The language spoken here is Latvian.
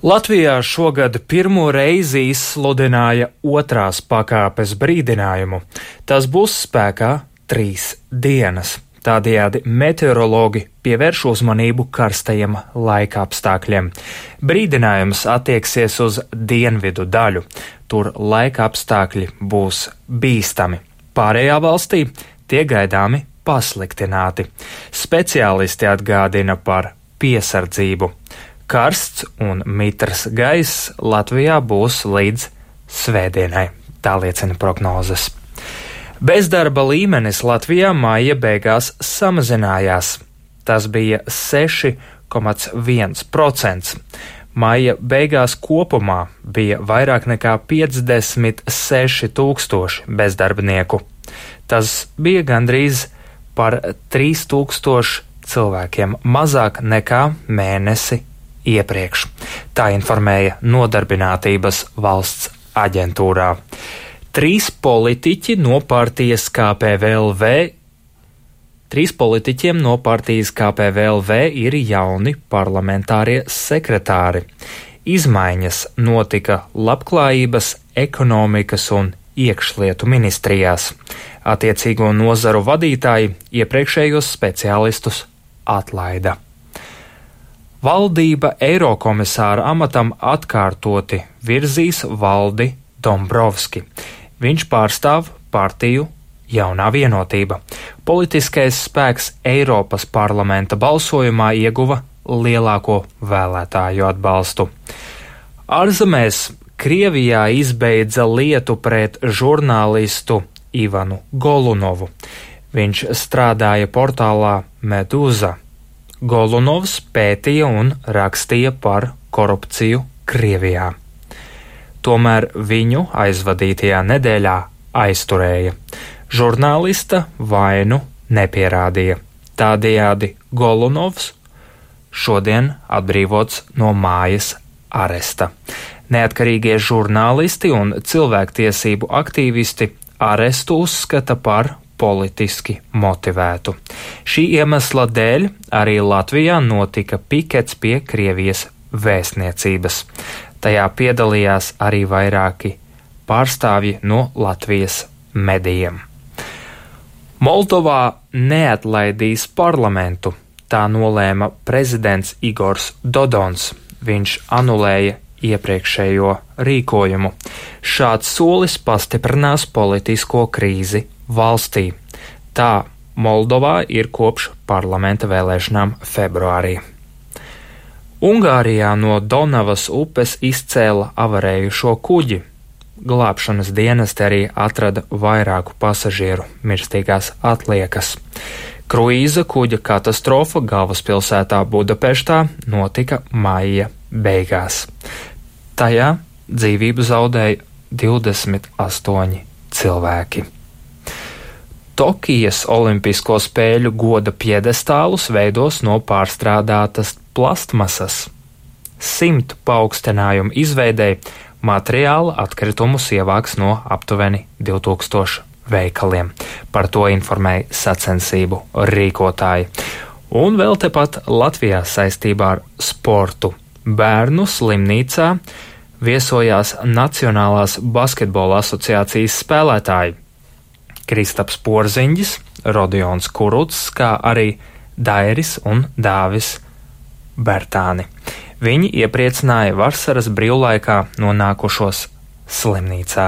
Latvijā šogad pirmo reizi izsludināja otrās pakāpes brīdinājumu. Tas būs spēkā 3 dienas. Tādējādi meteorologi pievērš uzmanību karstajiem laikapstākļiem. Brīdinājums attieksies uz dienvidu daļu. Tur laikapstākļi būs bīstami. Pārējā valstī tie gaidāmi pasliktināti. Speciālisti atgādina par piesardzību. Karsts un mitrs gaiss Latvijā būs līdz svētdienai, tā liecina prognozes. Bezdarba līmenis Latvijā maija beigās samazinājās. Tas bija 6,1%. Maija beigās kopumā bija vairāk nekā 56 000 bezdarbnieku. Tas bija gandrīz par 3000 cilvēkiem mazāk nekā mēnesi iepriekš. Tā informēja Nodarbinātības valsts aģentūrā. 3 politiķi no partijas KPVLV. 3 politiķiem no partijas KPVLV ir jauni parlamentārie sekretāri. Izmaiņas notika Labklājības, ekonomikas un iekšlietu ministrijās. Attiecīgo nozaru vadītāji iepriekšējos speciālistus atlaida. Valdība Eirokomisāra amatam atkārtoti virzīs Valdi Dombrovski. Viņš pārstāv partiju Jaunā vienotība. Politiskais spēks Eiropas parlamenta balsojumā ieguva lielāko vēlētāju atbalstu. Ārzemēs Krievijā izbeidza lietu pret žurnālistu Ivanu Golunovu. Viņš strādāja portālā Medūza. Golunovs pētīja un rakstīja par korupciju Krievijā. Tomēr viņu aizvadītajā nedēļā aizturēja. Žurnālista vainu nepierādīja. Tādējādi Golunovs šodien atbrīvots no mājas aresta. Neatkarīgie žurnālisti un cilvēktiesību aktīvisti arestu uzskata par politiski motivētu. Šī iemesla dēļ arī Latvijā notika pikets pie Krievijas vēstniecības. Tajā piedalījās arī vairāki pārstāvji no Latvijas medijiem. Moldovā neatlaidīs parlamentu, tā nolēma prezidents Igors Dodons. Viņš anulēja iepriekšējo rīkojumu. Šāds solis pastiprinās politisko krīzi valstī. Tā Moldovā ir kopš parlamenta vēlēšanām februārī. Ungārijā no Donavas upes izcēla avarējušo kuģi. Glābšanas dienesti arī atrada vairāku pasažieru mirstīgās atliekas. Kruīza kuģa katastrofa galvaspilsētā Budapeštā notika maija beigās. Tajā dzīvību zaudēja 28 cilvēki. Tokijas Olimpisko spēļu goda piedestālus veidos no pārstrādātas plastmasas. 100 paaugstinājumu izveidei materiāla atkritumus ievāks no aptuveni 2000 veikaliem. Par to informēja sacensību rīkotāji. Un vēl tepat Latvijā saistībā ar sportu. Bērnu slimnīcā viesojās Nacionālās basketbola asociācijas spēlētāji Kristaps Porziņģis, Rodions Kurucs, kā arī Dairis un Dāvis Bertāni. Viņi iepriecināja vasaras brīvlaikā nonākušos slimnīcā.